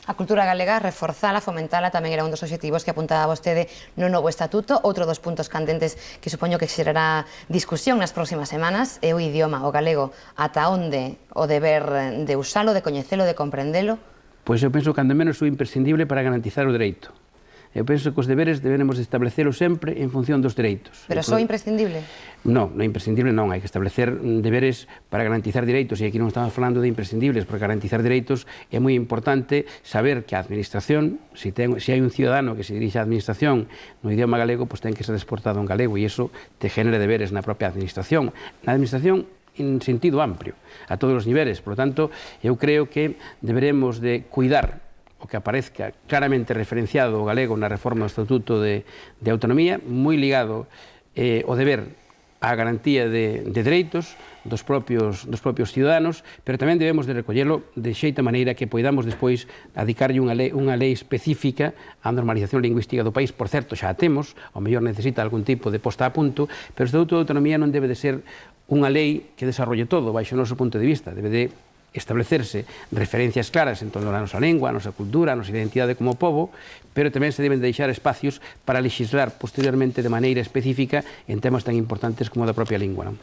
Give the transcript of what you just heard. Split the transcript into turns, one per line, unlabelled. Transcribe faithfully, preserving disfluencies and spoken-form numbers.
A cultura galega, reforzala, fomentala, tamén era un dos obxectivos que apuntaba vostede no novo estatuto. Outro dos puntos candentes que supoño que xerará discusión nas próximas semanas é o idioma, o galego. Ata onde o deber de usalo, de coñecelo, de comprendelo?
Pois eu penso que cando menos é imprescindible para garantizar o dereito. Eu penso que os deberes debemos establecelo sempre en función dos dereitos.
Pero só imprescindible?
Non, non é imprescindible, non. Hai que establecer deberes para garantizar dereitos, e aquí non estamos falando de imprescindibles, porque garantizar dereitos é moi importante saber que a administración, se hai un ciudadano que se dirixe á administración no idioma galego, pois ten que ser exportado en galego, e iso te genera deberes na propia administración. Na administración en sentido amplio, a todos os niveles. Por lo tanto, eu creo que deberemos de cuidar o que aparezca claramente referenciado o galego na reforma do Estatuto de, de Autonomía, moi ligado eh, o deber á garantía de, de dereitos dos propios, dos propios ciudadanos, pero tamén debemos de recollelo de xeita maneira que poidamos despois adicarlle unha lei, unha lei específica á normalización lingüística do país. Por certo, xa a temos, ao mellor necesita algún tipo de posta a punto, pero o Estatuto de Autonomía non debe de ser unha lei que desarrolle todo, baixo o noso punto de vista, debe de establecerse referencias claras en torno á nosa lengua, a nosa cultura, a nosa identidade como pobo, pero tamén se deben deixar espacios para legislar posteriormente de maneira específica en temas tan importantes como a da propia lingua.